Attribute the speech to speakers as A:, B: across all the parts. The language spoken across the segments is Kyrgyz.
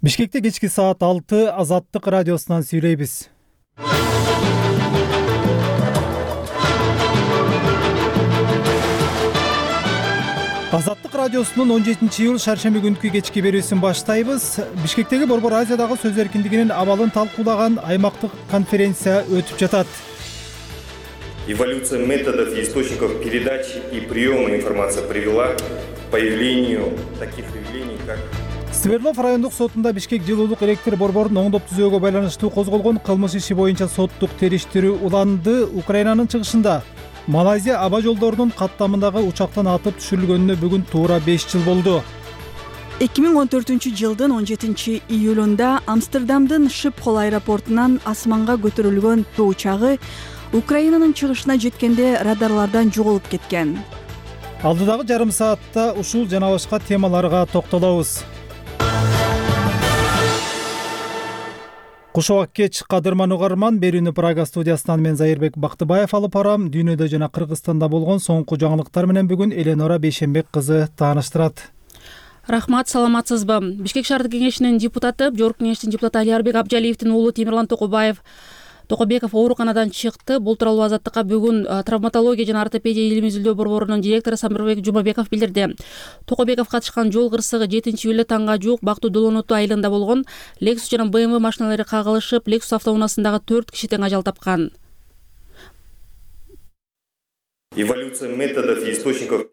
A: Бишкекте кечки саат 6 Азаттык радиосунан сүйлөйбүз. Азаттык радиосунун 17-iyul шаршемби күнкү кечки берүүсүн баштайбыз. Бишкектеги Борбор Азиядагы сөз эркиндигинин абалын талкуулаган аймактык конференция өтүп жатат.
B: Эволюция методов и источников передачи и приема информации привела к появлению таких явлений, как
A: Свердлов райондук сотунда Бишкек жылуулук электр борборун оңдоп түзүүгө байланыштуу козголгон кылмыш иши боюнча соттук териштирүү уланды. Украинанын чыгышында Малайзия аба жолдорунун каттамындагы учактан атып түшүрүлгөнүнө бүгүн туура 5 жыл болду.
C: 2014-жылдын 17-июлунда Амстердамдын Шипхол аэропортунан асманга көтөрүлгөн учагы Украинанын чыгышына жеткенде радарлардан жоголуп кеткен.
A: Алдыдагы жарым саатта ушул жана башка темаларга токтолобуз. Кушубак кеч кадырман угарман, берүүнү Прага студиясынан мен Зайырбек Бактыбаев алып барам. Дүйнөдө жана Кыргызстанда болгон соңку жаңылыктар менен бүгүн Эленора Бейшенбек кызы тааныштырат.
D: Рахмат, саламатсызбы? Бишкек шаардык кеңешинин депутаты, Жогорку кеңештин депутаты Алиарбек Абджалиевдин уулу Темирлан Токобеков ооруканадан чыкты. Бул тууралуу Азаттыкка бүгүн травматология жана ортопедия илим изилдөө борборунун директору Самирбек Жумабеков билдирди. Токобеков катышкан жол кырсыгы 7-июлда таңга жуук Бактуу Долоноту айылында болгон. Lexus жана BMW машиналары кагылышып, Lexus автоунаасындагы 4 киши тең ажал тапкан.
B: эволюция методов и источников.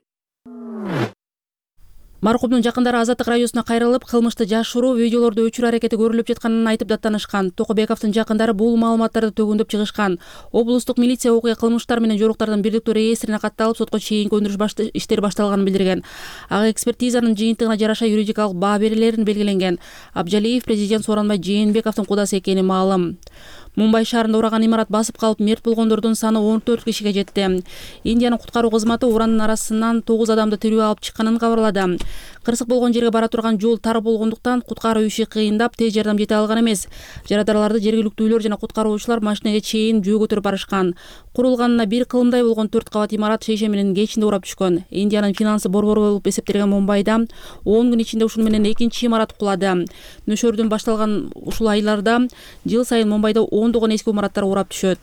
D: Маркумдун жакындары Азаттык радиосуна кайрылып, кылмышты жашыруу видеолордо өчүрүү аракети көрүлүп жатканын айтып даттанышкан. Токобековдун жакындары бул маалыматтарды төгүндөп чыгышкан. Облустук милиция окуя кылмыштар менен жоруктардын бирдиктүү реестрине катталып, сотко чейинки өндүрүш иштери башталганын билдирген. Ага экспертизанын жыйынтыгына жараша юридикалык баа берилерин белгиленген. Абджалиев президент Сооронбай Жээнбековдун кудасы экени маалым. Мумбай шаарында ураган имарат басып калып, мерт болгондордун саны 14 кишиге жетти. Индиянын куткаруу кызматы уранын арасынан 9 адамды тирүү алып чыкканын кабарлады. Кырсык болгон жерге бара турган жол тар болгондуктан куткаруу иши кыйындап, тез жардам жете алган эмес. Жарадараларды жергиликтүүлөр жана куткаруучулар машинеге чейин жөө көтөрүп барышкан. Курулганына 1 кылымдай болгон 4 кабат имарат шейше менен кечинде урап түшкөн. Индиянын финансы борбору болуп эсептелген Мумбайда 10 күн ичинде ушуну менен экинчи имарат кулады. Нөшөрдөн башталган ушул айларда жыл сайын Мумбайда ондогон эски имараттар урап түшөт.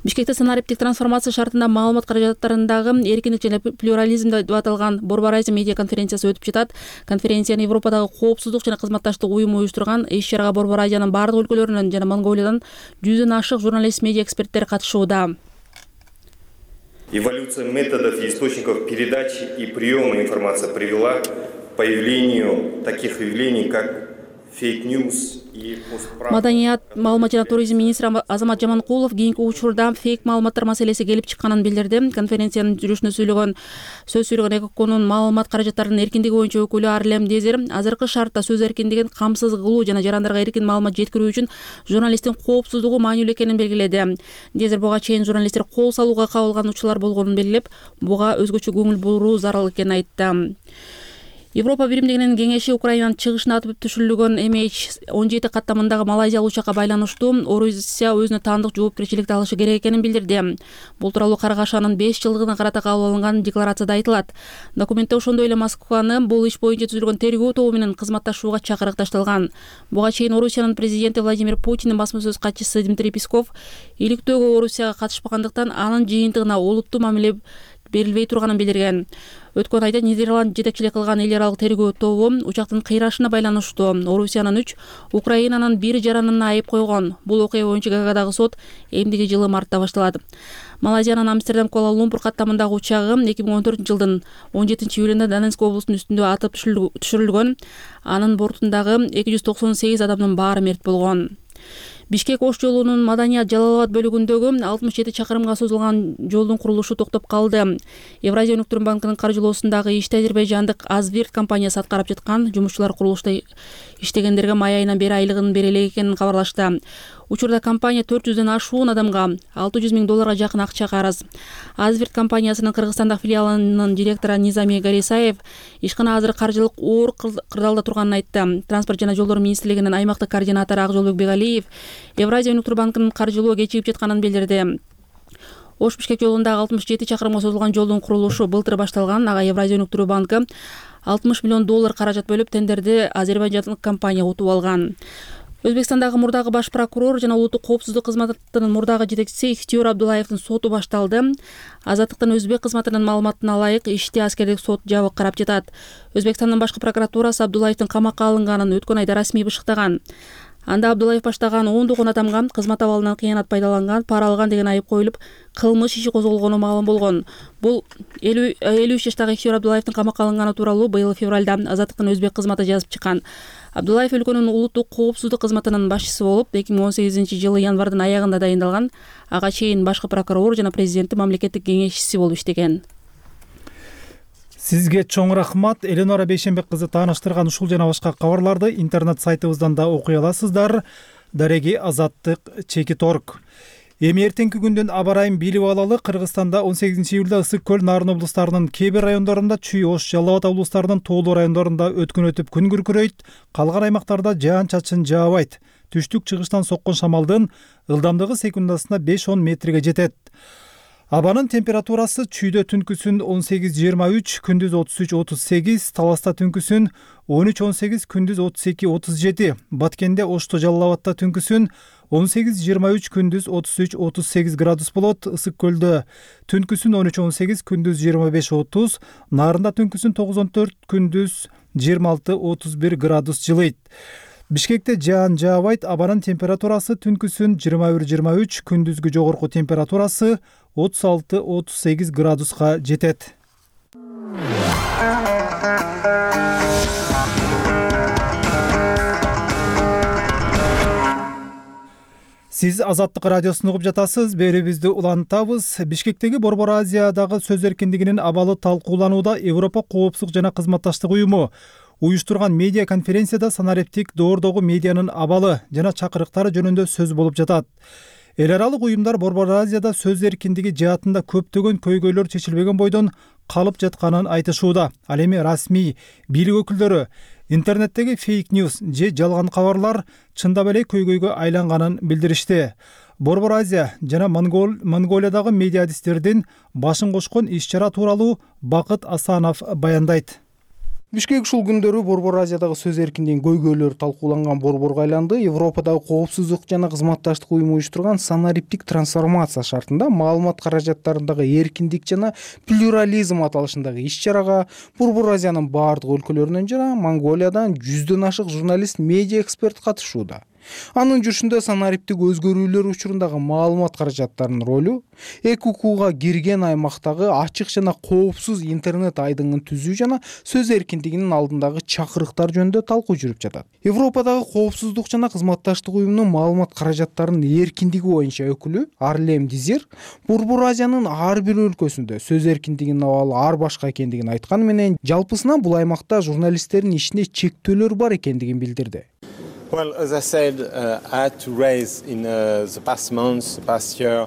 D: Бишкекте санариптик трансформация шартында маалымат каражаттарындагы эркиндик жана плюрализм деп аталган Борбор Азия медиа конференциясы өтүп жатат. Конференцияны Европадагы коопсуздук жана кызматташтык уюму уюштурган. Иш-чарага Борбор Азиянын бардык өлкөлөрүнөн жана Монголиядан 100дөн ашык журналист, медиа эксперттер катышууда.
B: Эволюция методов и источников передачи и приема информации привела к появлению таких явлений, как фейк-ньюс.
D: Маданият, маалымат жана туризм министри Азамат Жаманкулов кийинки учурда фейк маалыматтар маселеси келип чыкканын билдирди. Конференциянын жүрүшүндө сөз сүйлөгөн ЭКОКонун маалымат каражаттарынын эркиндиги боюнча өкүлү Арлем Дезер азыркы шартта сөз эркиндигин камсыз кылуу жана жарандарга эркин маалымат жеткирүү үчүн журналисттин коопсуздугу маанилүү экенин белгиледи. Дезер буга чейин журналисттер кол салууга кабылган учурлар болгонун белгилеп, буга өзгөчө көңүл буруу зарыл экенин айтты. Европа биримдигинин кеңеши Украинанын чыгышына атып түшүрүлгөн MH17 каттамындагы Малайзиялык учакка байланыштуу Орусия өзүнө таандык жоопкерчиликти алышы керек экенин билдирди. Бул тууралуу Каргашанын 5 жылдыгына карата кабыл алынган декларацияда айтылат. Документте ошондой эле Москваны бул иш боюнча түзүлгөн тергөө тобу менен кызматташууга чакырыкташталган. Буга чейин Орусиянын президенти Владимир Путиндин басма сөз катчысы Дмитрий Песков иликтөөгө Орусияга катышпагандыктан анын жыйынтыгына олуттуу мамиле берилбей турганын билдирген. Өткөн айда Нидерланд жетекчилик кылган эл аралык тергөө тобу учактын кыйрашына байланыштуу Орусиянын 3, Украинанын 1 жаранына айып койгон. Бул окуя боюнча Гаагадагы сот эмдиги жылы мартта башталат. Малайзиянын Амстердам Куала-Лумпур каттамындагы учагы 2014-жылдын 17-июлунда Донецк облусунун үстүндө атып түшүрүлгөн. Анын бортундагы 298 адамдын баары мерт болгон. Бишкек-Ош жолунун Маданият Жалал-Абад бөлүгүндөгү 67 чакырымга созулган жолдун курулушу токтоп калды. Евразия өнүктүрүү банкынын каржылоосундагы ишти азербайжандык Азвирт компаниясы аткарып жаткан. Жумушчулар курулушта иштегендерге май айынан бери айлыгын бере элек экенин кабарлашты. Учурда компания 400дөн ашуун адамга $600 000 жакын акча карыз. Азвирт компаниясынын Кыргызстандагы филиалынын директору Низами Гарисаев ишкана азыр каржылык оор кырдаалда турганын айтты. Транспорт жана жолдор министрлигинин аймактык координатору Акжолбек Бегалиев Евразия өнүктүрүү банкынын каржылоо кечигип жатканын билдирди. Ош Бишкек жолундагы 67 чакырымга созулган жолдун курулушу былтыр башталган. Ага Евразия өнүктүрүү банкы $60 миллион каражат бөлүп, тендерди азербайжандык компания утуп алган. Өзбекстандагы мурдагы баш прокурор жана улуттук коопсуздук кызматынын мурдагы жетекчиси Ихтиёр Абдуллаевдин соту башталды. Азаттыктын өзбек кызматынын маалыматына ылайык ишти аскердик сот жабык карап жатат. Өзбекстандын башкы прокуратурасы Абдуллаевдин камакка алынганын өткөн айда расмий бышыктаган. Анда Абдуллаев баштаган 10 адамга кызмат абалынан кыянат пайдаланган, пара алган деген айып коюлуп, кылмыш иши козголгону маалым болгон. Бул 53 жаштагы Ихтиёр Абдуллаевдин камакка алынганы тууралуу быйыл февралда Азаттыктын өзбек кызматы жазып чыккан. Абдуллаев өлкөнүн улуттук коопсуздук кызматынын башчысы болуп, 2018-жылы январдын аягында дайындалган. Ага чейин башкы прокурор жана президенттин мамлекеттик кеңешчиси болуп иштеген.
A: Сизге чоң рахмат. Эленора Бейшенбек кызы тааныштырган ушул жана башка кабарларды интернет сайтыбыздан да окуй аласыздар. Дареги Азаттык _org. Эми эртеңки күндүн аба ырайын билип алалы. Кыргызстанда 18-июлда Ысык көл, Нарын облустарынын кээ бир райондорунда, Чүй, Ош, Жалал Абад облустарынын тоолуу райондорунда өткөн өтүп күн күркүрөйт. Калган аймактарда жаан-чачын жаабайт. Түштүк-чыгыштан соккон шамалдын ылдамдыгы секундасына 5-10 метрге жетет. Абанын температурасы Чүйдө түнкүсүн 18-23, күндүз 33-38, Таласта түнкүсүн 13-18, күндүз 32-37, Баткенде, Ошто, Жалал Абадта түнкүсүн 18-23, күндүз 33-38 градус болот. Ысык көлдө түнкүсүн 13-18, күндүз 25-30, Нарында түнкүсүн 9-14, күндүз 26-31 градус жылыйт. Бишкекте жаан жаабайт. Абанын температурасы түнкүсүн 21-23, күндүзгү жогорку температурасы 36-38 градуска жетет. Сиз Азаттык радиосун угуп жатасыз. Берүүбүздү улантабыз. Бишкектеги Борбор Азиядагы сөз эркиндигинин абалы талкууланууда. Европа коопсуздук жана кызматташтык уюму уюштурган медиа конференцияда санариптик доордогу медианын абалы жана чакырыктары жөнүндө сөз болуп жатат. Эл аралык уюмдар Борбор Азияда сөз эркиндиги жаатында көптөгөн көйгөйлөр чечилбеген бойдон калып жатканын айтышууда. Ал эми расмий бийлик өкүлдөрү интернеттеги фейк ньюс же жалган кабарлар чындап эле көйгөйгө айланганын билдиришти. Борбор Азия жана Монголиядагы медиа-адистердин башын кошкон иш-чара тууралуу Бакыт Асанов баяндайт.
E: Бишкек ушул күндөрү Борбор Азиядагы сөз эркиндигинин көйгөйлөрү талкууланган борборго айланды. Европадагы коопсуздук жана кызматташтык уюму уюштурган санариптик трансформация шартында маалымат каражаттарындагы эркиндик жана плюрализм аталышындагы иш-чарага Борбор Азиянын баардык өлкөлөрүнөн жана Монголиядан 100дөн ашык журналист, медиа эксперт катышууда. Анын жүрүшүндө санариптик өзгөрүүлөр учурундагы маалымат каражаттарынын ролу, ЭКУКга кирген аймактагы ачык жана коопсуз интернет айдыңын түзүү жана сөз эркиндигинин алдындагы чакырыктар жөнүндө талкуу жүрүп жатат. Европадагы коопсуздук жана кызматташтык уюмунун маалымат каражаттарынын эркиндиги боюнча өкүлү Арлем Дизир Борбор Азиянын ар бир өлкөсүндө сөз эркиндигинин абалы ар башка экендигин айтканы менен, жалпысынан бул аймакта журналисттердин ишине чектөөлөр бар экендигин билдирди.
F: Well, as I said, I had to raise in the past months, the past year.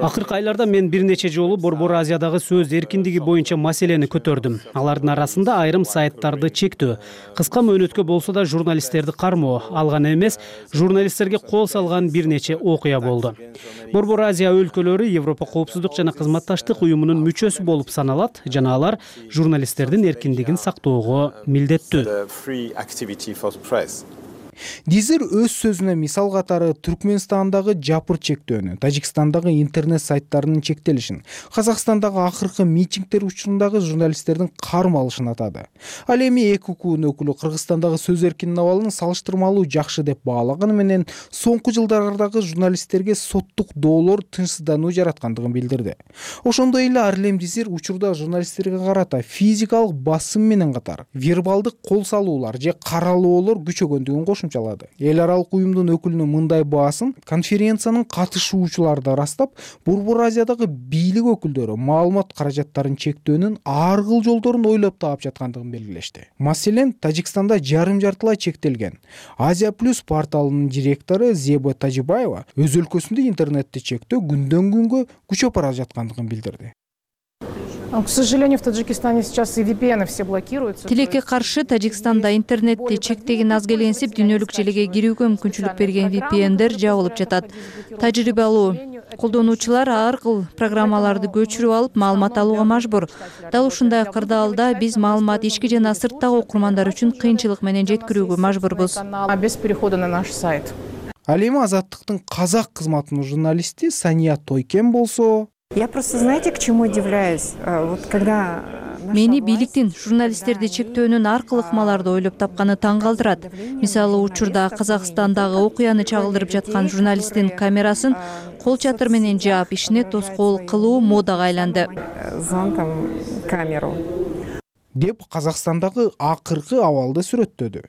G: Акыркы айларда мен бир нече жолу Борбор Азиядагы сөз эркиндиги боюнча маселени көтөрдүм. Алардын арасында айрым сайттарды чектөө, кыска мөөнөткө болсо да журналисттерди кармоо, ал гана эмес, журналисттерге кол салган бир нече окуя болду. Борбор Азия өлкөлөрү Европа коопсуздук жана кызматташтык уюмунун мүчөсү болуп саналат жана алар журналисттердин эркиндигин сактоого милдеттүү.
E: Дизир өз сөзүнө мисал катары Түркмөнстандагы жапыр чектөөнү, Тажикстандагы интернет сайттарынын чектелишин, Казакстандагы акыркы митингдер учурундагы журналисттердин кармалышын атады. Ал эми ЭКУКнын өкүлү Кыргызстандагы сөз эркиндигинин абалын салыштырмалуу жакшы деп баалаганы менен, соңку жылдардагы журналисттерге соттук доолор тынчсыздануу жараткандыгын билдирди. Ошондой эле Арлем Дизир учурда журналисттерге карата физикалык басым менен катар вербалдык кол салуулар же каралоолор күчөгөндүгүн кошумчалады. Эл аралык уюмдун өкүлүнүн мындай баасын конференциянын катышуучулары да ырастап, Борбор Азиядагы бийлик өкүлдөрү маалымат каражаттарын чектөөнүн ар кыл жолдорун ойлоп таап жаткандыгын белгилешти. Маселен, Тажикстанда жарым-жартылай чектелген Азия Плюс порталынын директору Зеба Тажибаева өз өлкөсүндө интернетти чектөө күндөн күнгө күчөп бара жаткандыгын билдирди.
H: К сожалению, в Таджикистане сейчас и VPN все блокируются.
I: Тилекке каршы Тажикстанда интернетти чектеген аз келенсип дүйнөлүк желеге кирүүгө мүмкүнчүлүк берген VPN'дер жабылып жатат. Тажрыйбалуу колдонуучулар ар кыл программаларды көчүрүп алып маалымат алууга мажбур. Дал ушундай кырдаалда биз маалымат ички жана сырттагы окурмандар үчүн кыйынчылык менен жеткирүүгө мажбурбуз.
H: Без перехода на наш сайт.
E: Ал эми Азаттыктын казак кызматынын журналисти Сания Тойкен болсо,
J: я просто, знаете, к чему удивляюсь? Вот когда
I: мени бийликтин журналисттерди чектөөнүн ар кыл ыкмаларды ойлоп тапканы таң калтырат. Мисалы, учурда Казакстандагы окуяны чагылдырып жаткан журналисттин камерасын кол чатыр менен жаап, ишине тоскоол кылуу модага айланды.
J: зонтом камеру.
E: деп Казакстандагы акыркы абалды сүрөттөдү.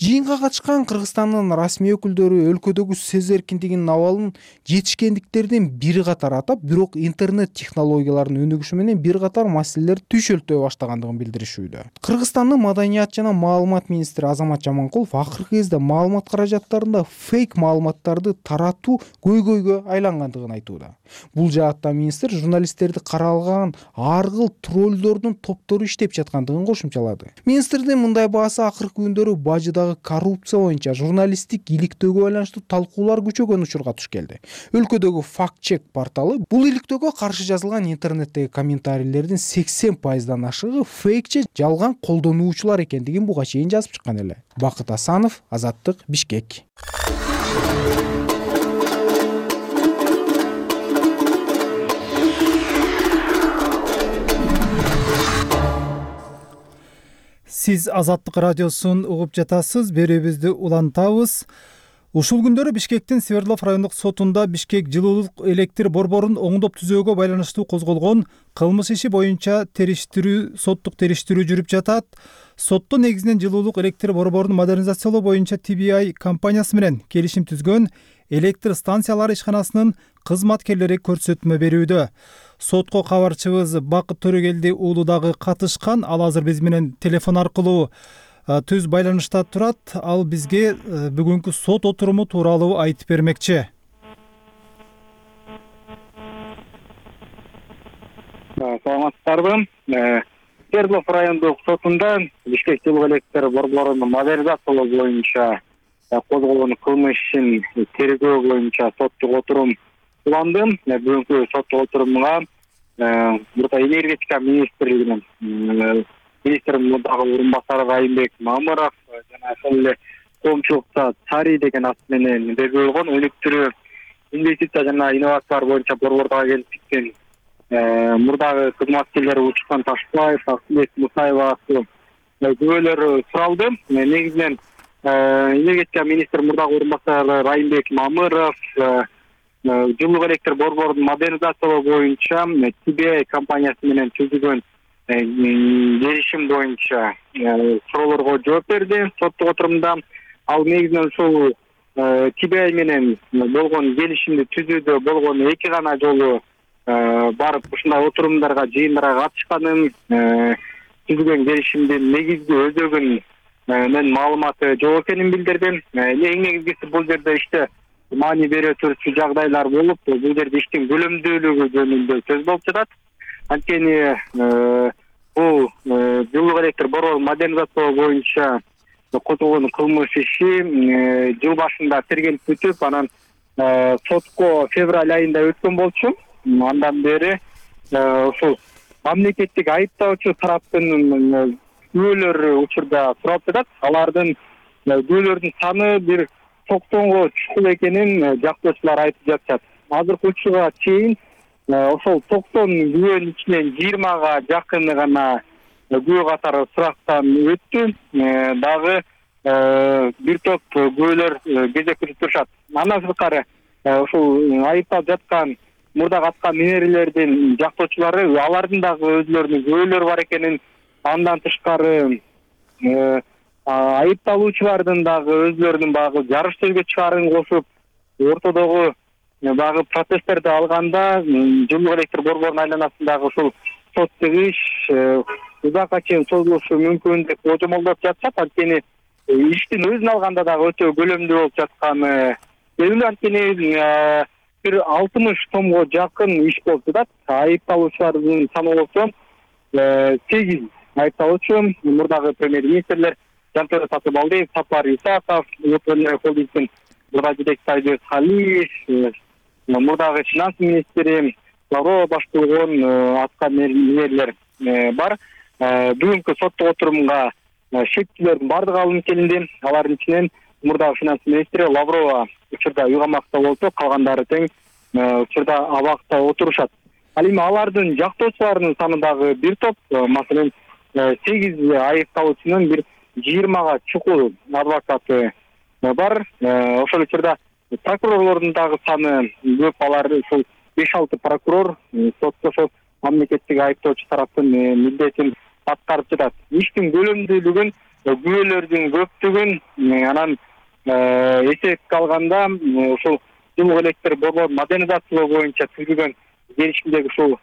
E: Жыйынга катышкан Кыргызстандын расмий өкүлдөрү өлкөдөгү сөз эркиндигинин абалын жетишкендиктердин бир катары атап, бирок интернет технологияларынын өнүгүшү менен бир катар маселелер түшөлтөй баштагандыгын билдиришүүдө. Кыргызстандын маданият жана маалымат министри Азамат Жаманкулов акыркы кезде маалымат каражаттарында фейк маалыматтарды таратуу көйгөйгө айлангандыгын айтууда. Бул жаатта министр журналисттерди каралган ар кыл троллдордун топтору иштеп жаткандыгын кошумчалады. Министрдин мындай баасы акыркы күндөрү бажыдагы коррупция боюнча журналисттик иликтөөгө байланыштуу талкуулар күчөгөн учурга туш келди. Өлкөдөгү факт-чек порталы бул иликтөөгө каршы жазылган интернеттеги комментарийлердин 80%дан ашыгы фейкче жалган колдонуучулар экендигин буга чейин жазып чыккан эле. Бакыт Асанов, Азаттык, Бишкек.
A: Сиз Азаттык радиосун угуп жатасыз, берүүбүздү улантабыз. Ушул күндөрү Бишкектин Свердлов райондук сотунда Бишкек жылуулук электр борборун оңдоп түзөөгө байланыштуу козголгон кылмыш иши боюнча соттук териштирүү жүрүп жатат. Сотто негизинен жылуулук электр борборун модернизациялоо боюнча TBI компаниясы менен келишим түзгөн электр станциялары ишканасынын кызматкерлери көрсөтмө берүүдө. Сотко кабарчыбыз Бакыт Төрөгелди уулу дагы катышкан. Ал азыр биз менен телефон аркылуу түз байланышта турат. Ал бизге бүгүнкү сот отуруму тууралуу айтып бермекчи.
K: Саламатсыздарбы? Свердлов райондук сотунда Бишкек жылуу электр борборунун модернизациялоо боюнча козголгон кылмыш ишин тергөө боюнча соттук отурум уланды. Бүгүнкү соттук отурумга Мурда энергетика министрлигинин министрдин мурдагы орун басары Райымбек Мамыров жана ошол эле коомчулукта Цари деген ат менен белгилүү болгон өнүктүрүү инвестиция жана инновациялар боюнча борбордогу келип чыккан мурдагы кызматкерлери Учкан Ташбаев, Акылбек Мусаева күбөлөр суралды. Негизинен энергетика министри мурдагы орун басары Райымбек Мамыров жылуулук электр борборун модернизациялоо боюнча TBI компаниясы менен түзүлгөн келишим боюнча суроолорго жооп берди. Соттук отурумда ал негизинен ушул TBI менен болгон келишимди түзүүдө болгон эки гана жолу барып ушундай отурумдарга, жыйындарга катышканын, түзүлгөн келишимдин негизги өзөгүн менен маалыматы жок экенин билдирди. Эң негизгиси бул жерде иште маани бере турчу жагдайлар болуп, бул жерде иштин көлөмдүүлүгү жөнүндө сөз болуп жатат. Анткени бул жылуулук электр борборун модернизациялоо боюнча козголгон кылмыш иши жыл башында тергелип бүтүп, анан сотко февраль айында өткөн болчу. Андан бери ушул мамлекеттик айыптоочу тараптын күбөлөр учурда суралып жатат. Алардын күбөлөрдүн саны бир 90го чукул экенин жактоочулар айтып жатышат. Азыркы учурга чейин ошол 90 күбөнүн ичинен 20га жакыны гана күбө катары сурактан өттү. Дагы бир топ күбөлөр кезек күтүп турушат. Андан сырткары ушул айыпталып жаткан мурда каткан мээрилердин жактоочулары алардын дагы өзлөрүнүн күбөлөрү бар экенин, андан тышкары айыпталуучулардын дагы өзлөрүнүн багы жарыш сөзгө чыгарын кошуп, ортодогу багы протесттерди алганда жылуулук электр борборунун айланасындагы ушул соттук иш узакка чейин созулушу мүмкүн деп божомолдоп жатышат. Анткени иштин өзүн алганда дагы өтө көлөмдүү болуп жатканы белгилүү. Анткени бир 60 томго жакын иш болуп жатат. Айыпталуучулардын саны болсо 8 айыпталуучу, мурдагы премьер-министрлер Жантөре Сатыбалдиев, Сапар Исаков, холдингдин мурда жетекчиси Айбек Халиев, мурдагы финанс министри Лаврова башталган аткан мээрилер бар. Бүгүнкү соттук отурумга шектүүлөрдүн бардыгы алынып келинди. Алардын ичинен мурдагы финанс министри Лаврова учурда үй камакта болсо, калгандары тең учурда абакта отурушат. Ал эми алардын жактоочуларынын саны дагы бир топ, маселен 8 айыпталуучунун бир 20га чукул адвокаты бар. Ошол учурда прокурорлордун дагы саны көп, алар ушул 5-6 прокурор сотто ошол мамлекеттик айыптоочу тараптын милдетин аткарып жатат. Иштин көлөмдүүлүгүн, күбөлөрдүн көптүгүн анан эсепке алганда ушул жылуу электр борборун модернизациялоо боюнча түзүлгөн келишимдеги ушул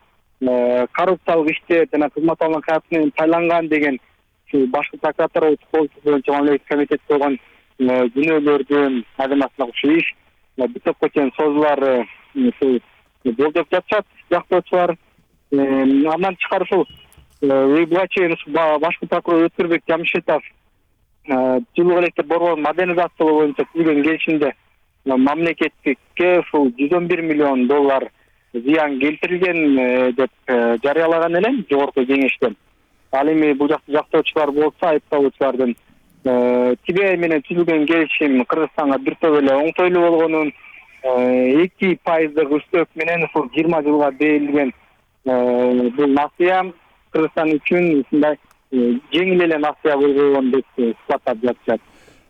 K: коррупциялык иштер жана кызмат алган кадрлар тайланган деген ушул башкы прокуратура коопсуздук боюнча мамлекеттик комитет койгон күнөөлөрдүн айдамасында ушул иш бир топко чейин созулары ушул болжоп жатышат жактоочулар. Андан тышкары ушул буга чейин башкы прокурор Өткүрбек Жамшитов жылуу электр борборун модернизациялоо боюнча түзүлгөн келишимде мамлекетке ушул $111 миллион зыян келтирилген деп жарыялаган эле жогорку кеңештен. Ал эми бул жакта жактоочулар болсо, айыпталуучулардын Тибей менен түзүлгөн келишим Кыргызстанга бир топ эле оңтойлуу болгонун, 2% үстөк менен ушул 20 жылга берилген бул насыя Кыргызстан үчүн ушундай жеңил эле насыя болгон деп сыпаттап жатышат.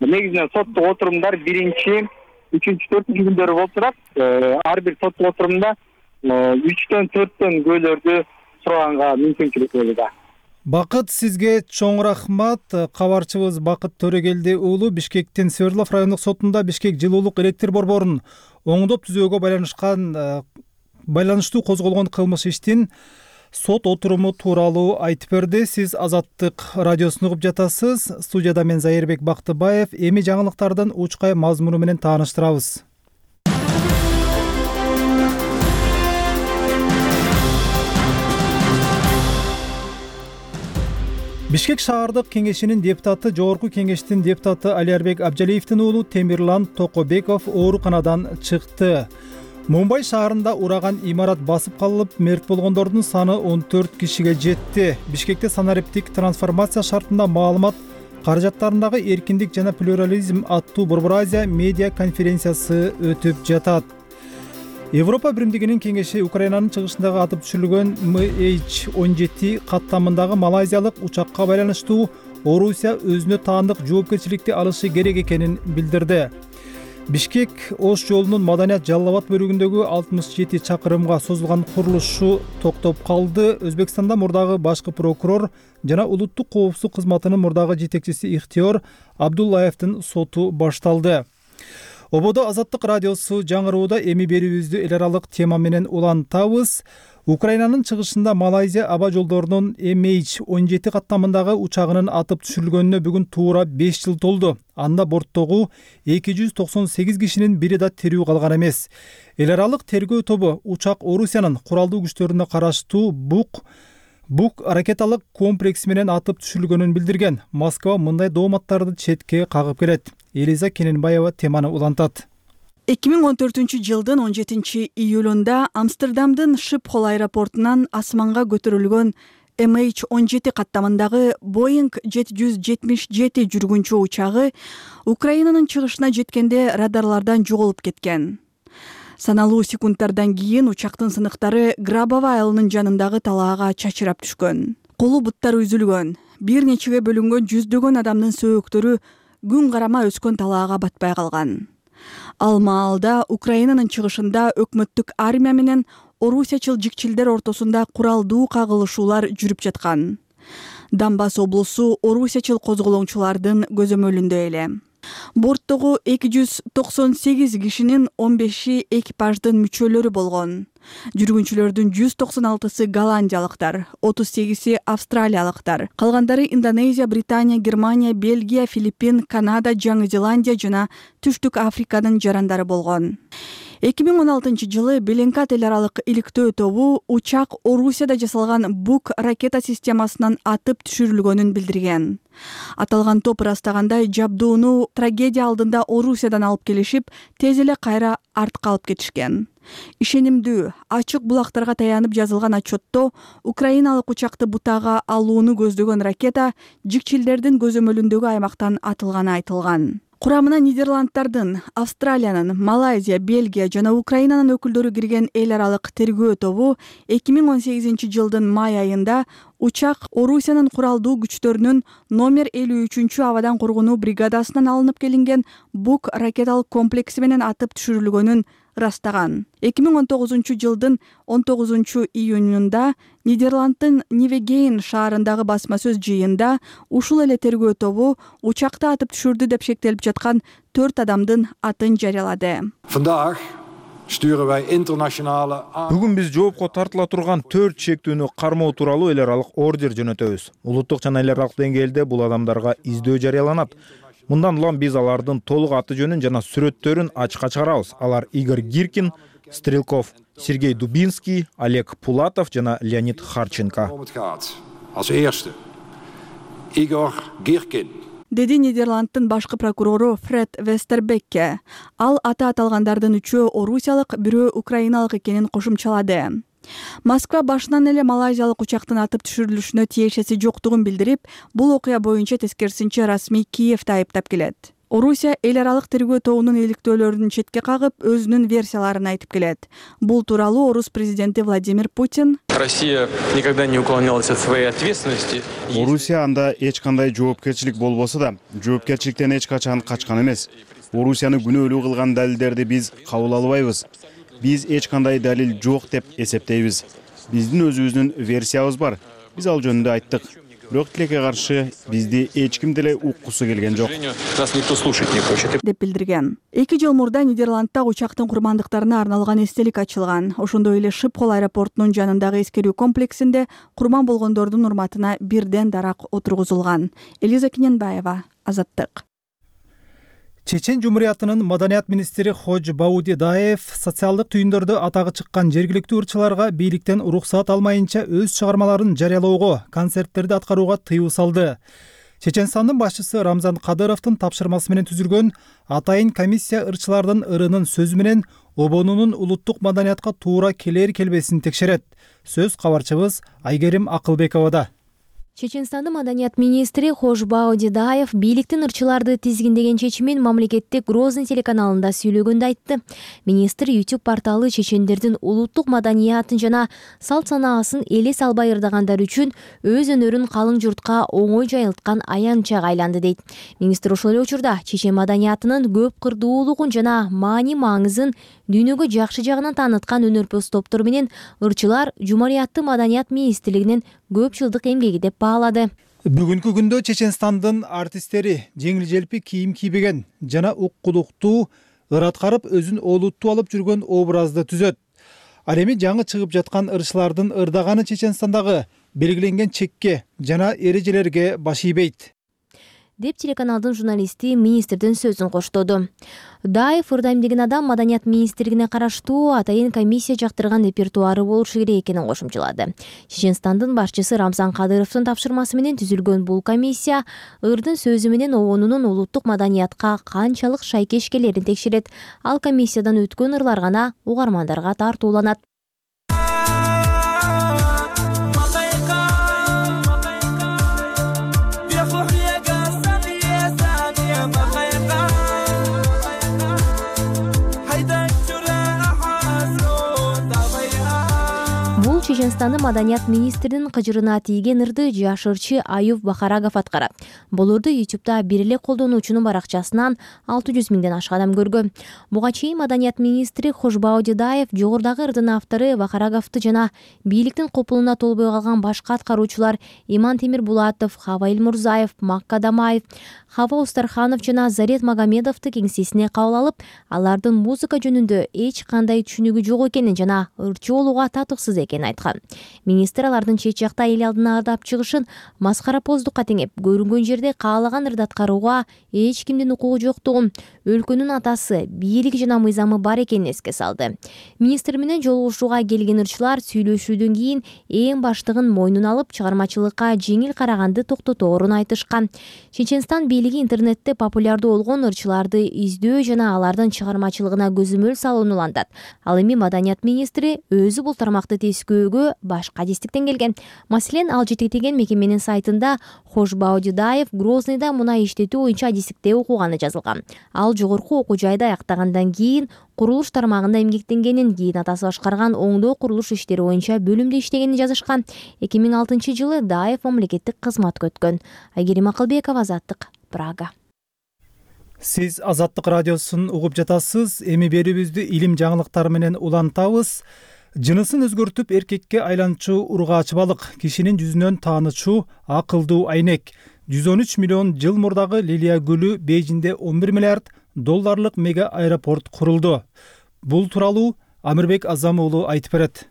K: Негизинен соттук отурумдар 1-3, 4-үнчү күндөрү болуп турат. Ар бир соттук отурумда 3-төн 4төн күбөлөрдү сураганга мүмкүнчүлүк болууда.
A: Бакыт, сизге чоң рахмат. Кабарчыбыз Бакыт Төрөгелди уулу Бишкектин Свердлов райондук сотунда Бишкек жылуулук электр борборун оңдоп түзүүгө байланыштуу козголгон кылмыш иштин сот отуруму тууралуу айтып берди. Сиз Азаттык радиосун угуп жатасыз. Студияда мен Зайырбек Бактыбаев. Эми жаңылыктардын учкай мазмуну менен тааныштырабыз. Бишкек шаардык кеңешинин депутаты, жогорку кеңештин депутаты Алиарбек Абжалиевдин уулу Темирлан Токобеков ооруканадан чыкты. Мумбай шаарында ураган имарат басып калып, мерт болгондордун саны 14 кишиге жетти. Бишкекте санариптик трансформация шартында маалымат каражаттарындагы эркиндик жана плюрализм аттуу Борбор Азия медиа конференциясы өтүп жатат. Европа биримдигинин кеңеши Украинанын чыгышындагы атып түшүрүлгөн MH17 каттамындагы малайзиялык учакка байланыштуу Орусия өзүнө таандык жоопкерчиликти алышы керек экенин билдирди. Бишкек Ош жолунун Маданият Жалал Абад бөлүгүндөгү 67 чакырымга созулган курулушу токтоп калды. Өзбекстанда мурдагы башкы прокурор жана улуттук коопсуздук кызматынын мурдагы жетекчиси Ихтиёр Абдуллаевдин соту башталды. Ободо Азаттык радиосу жаңырууда. Эми берүүбүздү эл аралык тема менен улантабыз. Украинанын чыгышында Малайзия аба жолдорунун MH17 каттамындагы учагынын атып түшүрүлгөнүнө бүгүн туура 5 жыл толду. Анда борттогу 298 кишинин бири да тирүү калган эмес. Эл аралык тергөө тобу учак Орусиянын куралдуу күчтөрүнө караштуу Бук ракеталык комплекси менен атып түшүрүлгөнүн билдирген. Москва мындай дооматтарды четке кагып келет. Элиза Кененбаева теманы улантат.
C: 2014-жылдын 17 июлунда Амстердамдын Шипхол аэропортунан асманга көтөрүлгөн MH17 каттамындагы Boeing 777 жүргүнчү учагы Украинанын чыгышына жеткенде радарлардан жоголуп кеткен. Саналуу секундтардан кийин учактын сыныктары Грабово айылынын жанындагы талаага чачырап түшкөн. Колу буттары үзүлгөн, бир нечеге бөлүнгөн жүздөгөн адамдын сөөктөрү күн карама өскөн талаага батпай калган. Ал маалда Украинанын чыгышында өкмөттүк армия менен орусиячыл жикчилдер ортосунда куралдуу кагылышуулар жүрүп жаткан. Донбасс облусу орусиячыл козголоңчулардын көзөмөлүндө эле. Борттогу 298 кишинин 15 экипаждын мүчөлөрү болгон. Жүргүнчүлөрдүн 196-сы голландиялыктар, 38-си австралиялыктар, калгандары Индонезия, Британия, Германия, Бельгия, Филиппин, Канада, Жаңы Зеландия жана Түштүк Африканын жарандары болгон. 2016-жылы Беленкат эл аралык иликтөө тобу учак Орусияда жасалган Бук ракета системасынан атып түшүрүлгөнүн билдирген. Аталган топ ырастагандай жабдууну трагедия алдында Орусиядан алып келишип, тез эле кайра артка алып кетишкен. Ишенимдүү, ачык булактарга таянып жазылган отчетто украиналык учакты бутага алууну көздөгөн ракета жикчилдердин көзөмөлүндөгү аймактан атылганы айтылган. Курамына Нидерланддардын, Австралиянын, Малайзия, Бельгия жана Украинанын өкүлдөрү кирген эл аралык тергөө тобу 2018-жылдын май айында учак Орусиянын куралдуу күчтөрүнүн номер 53 абадан коргонуу бригадасынан алынып келинген Бук ракеталык комплекси менен атып түшүрүлгөнүн ырастаган. 2019-жылдын 19-июнунда Нидерланддын Нивегейн шаарындагы басма сөз жыйында ушул эле тергөө тобу учакты атып түшүрдү деп шектелип жаткан 4 адамдын атын жарыялады.
L: Бүгүн биз жоопко тартыла турган 4 чектүүнү кармоо тууралуу эл аралык ордер жөнөтөбүз. Улуттук жана эл аралык деңгээлде бул адамдарга издөө жарыяланат. Мындан улам биз алардын толук аты жөнүн жана сүрөттөрүн ачыкка чыгарабыз. Алар Игорь Гиркин, Стрелков, Сергей Дубинский, Олег Пулатов жана Леонид Харченко.
M: Игорь Гиркин.
C: Деди Нидерланддын башкы прокурору Фред Вестербекке. Ал аты аталгандардын 3-өө орусиялык, 1-өө украиналык экенин кошумчалады. Москва башынан эле малайзиялык учактын атып түшүрүлүшүнө тиешеси жоктугун билдирип, бул окуя боюнча тескерисинче расмий Киевди айыптап келет. Орусия эл аралык тергөө тобунун иликтөөлөрүн четке кагып, өзүнүн версияларын айтып келет. Бул тууралуу орус президенти Владимир Путин
N: Россия никогда не уклонялась от своей ответственности.
O: Орусия анда эч кандай жоопкерчилик болбосо да, жоопкерчиликтен эч качан качкан эмес. Орусияны күнөөлүү кылган далилдерди биз кабыл албайбыз. Биз эч кандай далил жок деп эсептейбиз. Биздин өзүбүздүн версиябыз бар. Биз ал жөнүндө айттык. Бирок тилекке каршы бизди эч ким деле уккусу келген жок.
N: Нас никто слушать не хочет.
C: деп билдирген. 2 жыл мурда Нидерландда учактын курмандыктарына арналган эстелик ачылган. Ошондой эле Шипхол аэропортунун жанындагы эскерүү комплексинде курман болгондордун урматына бирден дарак отургузулган. Элиза Киненбаева, Азаттык.
A: Чечен Жумуриятынын маданият министри Хож Баудидаев социалдык түйүндөрдө атагы чыккан жергиликтүү ырчыларга бийликтен уруксаат алмайынча өз чыгармаларын жарыялоого, концерттерди аткарууга тыюу салды. Чеченстандын башчысы Рамзан Кадыровдун тапшырмасы менен түзүлгөн атайын комиссия ырчылардын ырынын сөзү менен обонунун улуттук маданиятка туура келер келбесин текшерет. Сөз кабарчыбыз Айгерим Акылбековада.
P: Чеченстандын маданият министри Хож Баудидаев бийликтин ырчыларды тизгиндеген чечимин мамлекеттик Грозный телеканалында сүйлөгөндө айтты. Министр YouTube порталы чечендердин улуттук маданиятын жана салт санаасын элес албай ырдагандар үчүн өз өнөрүн калың журтка оңой жайылткан аянтчага айланды дейт. Министр ошол эле учурда чечен маданиятынын көп кырдуулугун жана маани маңызын дүйнөгө жакшы жагынан тааныткан өнөрпөз топтор менен ырчылар Жумурияттын маданият министрлигинин көп жылдык эмгеги деп баалады.
A: Бүгүнкү күндө Чеченстандын артисттери жеңил желпи кийим кийбеген жана уккулуктуу ыр аткарып өзүн олуттуу алып жүргөн образды түзөт. Ал эми жаңы чыгып жаткан ырчылардын ырдаганы Чеченстандагы белгиленген чекке жана эрежелерге баш ийбейт
P: деп телеканалдын журналисти министрдин сөзүн коштоду. Даев ырдайм деген адам маданият министрлигине караштуу атайын комиссия жактырган репертуары болушу керек экенин кошумчалады. Чеченстандын башчысы Рамзан Кадыровдун тапшырмасы менен түзүлгөн бул комиссия ырдын сөзү менен обонунун улуттук маданиятка канчалык шайкеш келерин текшерет. Ал комиссиядан өткөн ырлар гана угармандарга тартууланат. Чеченстандын маданият министринин кыжырына тийген ырды жаш ырчы Аюп Бахарагов аткарат. Бул ырды YouTube'да бир эле колдонуучунун баракчасынан 600 миңден ашык адам көргөн. Буга чейин маданият министри Хож Баудидаев жогорудагы ырдын автору Бахараговду жана бийликтин копулуна толбой калган башка аткаруучулар Иман Темирбулатов, Хаваил Мурзаев, Макка Дамаев, Хава Устарханов жана Зарет Магомедовду кеңсесине кабыл алып, алардын музыка жөнүндө эч кандай түшүнүгү жок экенин жана ырчы болууга татыксыз экенин айткан. Министр алардын чет жакта эл алдына ырдап чыгышын маскарапоздукка теңеп, көрүнгөн жерде каалаган ырды аткарууга эч кимдин укугу жоктугун, өлкөнүн атасы, бийлиги жана мыйзамы бар экенин эске салды. Министр менен жолугушууга келген ырчылар сүйлөшүүдөн кийин эң баштыгын мойнуна алып, чыгармачылыкка жеңил караганды токтоторун айтышкан. Чеченстан бийлиги бийлиги интернетте популярдуу болгон ырчыларды издөө жана алардын чыгармачылыгына көзөмөл салууну улантат. Ал эми Маданият министри өзү бул тармакты тескөөгө башка адистиктен келген. Маселен, ал жетектеген мекеменин сайтында Хошбау Дюдаев Грозныйда мунай иштетүү боюнча адистикте окуганы жазылган. Ал жогорку окуу жайда аяктагандан кийин курулуш тармагында эмгектенгенин, кийин атасы башкарган оңдоо курулуш иштери боюнча бөлүмдө иштегенин жазышкан. 2006-жылы Даев мамлекеттик кызматка өткөн. Айгерим Акылбекова, Азаттык, Прага.
A: Сиз Азаттык радиосун угуп жатасыз. Эми берүүбүздү илим жаңылыктары менен улантабыз. Жынысын өзгөртүп эркекке айланчу ургаач балык, кишинин жүзүнөн таанычу акылдуу айнек. 113 миллион жыл мурдагы Лилия гүлү Бейжинде 11 миллиард долларлык мега аэропорт курулду. Бул тууралуу Амирбек Азам уулу айтып берет.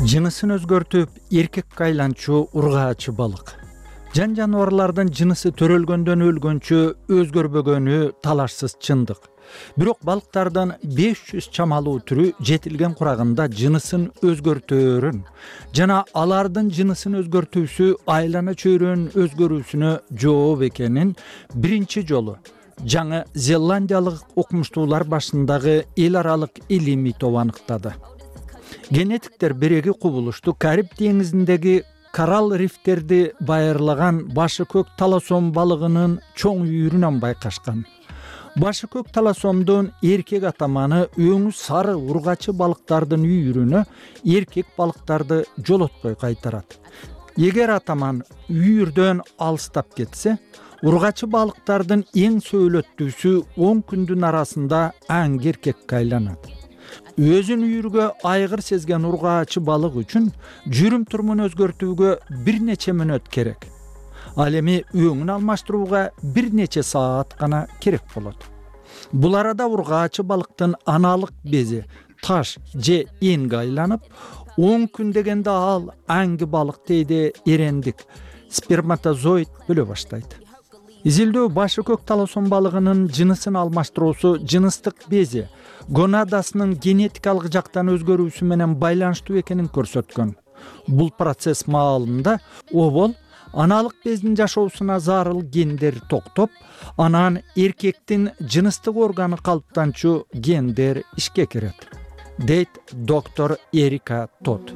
Q: Жынысын өзгөртүп эркекке айланчу ургаачы балык. Жан жаныбарлардын жынысы төрөлгөндөн өлгөнчө өзгөрбөгөнү талашсыз чындык. Бирок балыктардын 500 чамалуу түрү жетилген курагында жынысын өзгөртөөрүн жана алардын жынысын өзгөртүүсү айлана чөйрөнүн өзгөрүүсүнө жооп экенин биринчи жолу Жаңы Зеландиялык окумуштуулар башындагы эл аралык илимий топ аныктады. Генетиктер биреги кубулушту Кариб деңизиндеги коралл рифтерди байырлаган башы көк таласом балыгынын чоң үйүрүнөн байкашкан. Башы көк таласомдун эркек атаманы өңү сары ургачы балыктардын үйүрүнө эркек балыктарды жолотпой кайтарат. Эгер атаман үйүрдөн алыстап кетсе, ургачы балыктардын эң сөйлөттүүсү 10 күндүн арасында аң эркекке айланат. Өзүн үйүргө айгыр сезген ургаачы балык үчүн жүрүм турумун өзгөртүүгө бир нече мүнөт керек. Ал эми өңүн алмаштырууга бир нече саат гана керек болот. Бул арада ургаачы балыктын аналык бези таш же энге айланып, 10 күн дегенде ал аңги балык дейди эрендик сперматозоид бөлө баштайт. Изилдөө башы көк таласом балыгынын жынысын алмаштыруусу жыныстык бези гонадасынын генетикалык жактан өзгөрүүсү менен байланыштуу экенин көрсөткөн. Бул процесс маалында обол аналык бездин жашоосуна зарыл гендер токтоп, анан эркектин жыныстык органы калыптанчу гендер ишке кирет, дейт доктор Эрика Тот.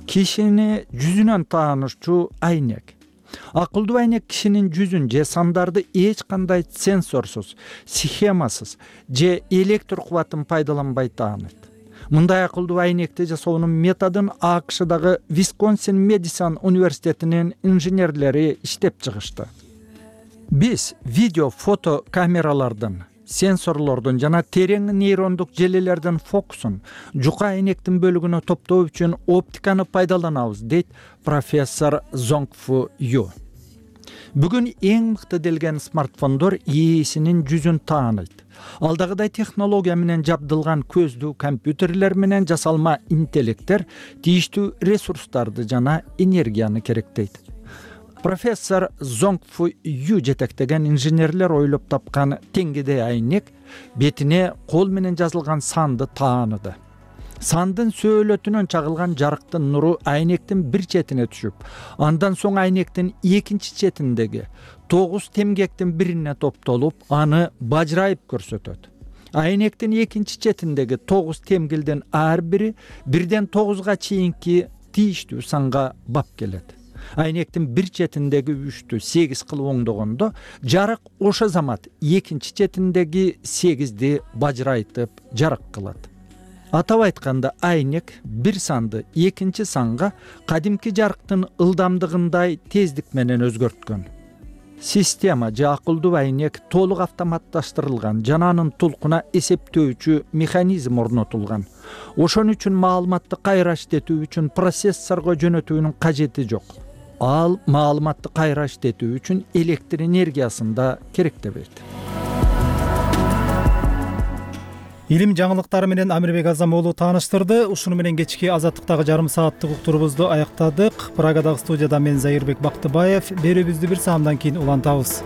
Q: Кишини жүзүнөн таанышчу айнек. Акылдуу айнек кишинин жүзүн же сандарды эч кандай сенсорсуз, схемасыз же электр кубатын пайдаланбай тааныйт. Мындай акылдуу айнекти жасоонун методун АКШдагы Висконсин Медисон университетинин инженерлери иштеп чыгышты. Биз видео, фото камералардын, сенсорлордун жана терең нейрондук желелердин фокусун жука айнектин бөлүгүнө топтоо үчүн оптиканы пайдаланабыз, дейт профессор Зонгфу Ю. Бүгүн эң мыкты делген смартфондор ээсинин жүзүн тааныйт. Алдагыдай технология менен жабдылган көздүү компьютерлер менен жасалма интеллекттер тийиштүү ресурстарды жана энергияны керектейт. Профессор Зонгфу Ю жетектеген инженерлер ойлоп тапкан теңгедей айнек бетине кол менен жазылган санды тааныды. Сандын сөөлөтүнөн чагылган жарыктын нуру айнектин бир четине түшүп, андан соң айнектин экинчи четиндеги 9 темгектин бирине топтолуп, аны бажырайып көрсөтөт. Айнектин экинчи четиндеги 9 темгилдин ар бири 1ден 9га чейинки тийиштүү санга бап келет. Айнектин бир четиндеги 3тү 8 кылып оңдогондо, жарык ошо замат экинчи четиндеги 8ди бажырайтып жарык кылат. Атап айтканда, айнек бир санды экинчи санга кадимки жарыктын ылдамдыгындай тездик менен өзгөрткөн. Система же акылдуу айнек толук автоматташтырылган жана анын толкуна эсептөөчү механизм орнотулган. Ошон үчүн маалыматты кайра иштетүү үчүн процессорго жөнөтүүнүн кажети жок. Ал маалыматты кайра иштетүү үчүн электр энергиясын да керектебейт.
A: Илим жаңылыктары менен Амирбек Азам уулу тааныштырды. Ушуну менен кечки азаттыктагы жарым сааттык уктурубузду аяктадык. Прагадагы студияда мен Зайырбек Бактыбаев. Берүүбүздү бир саамдан кийин улантабыз.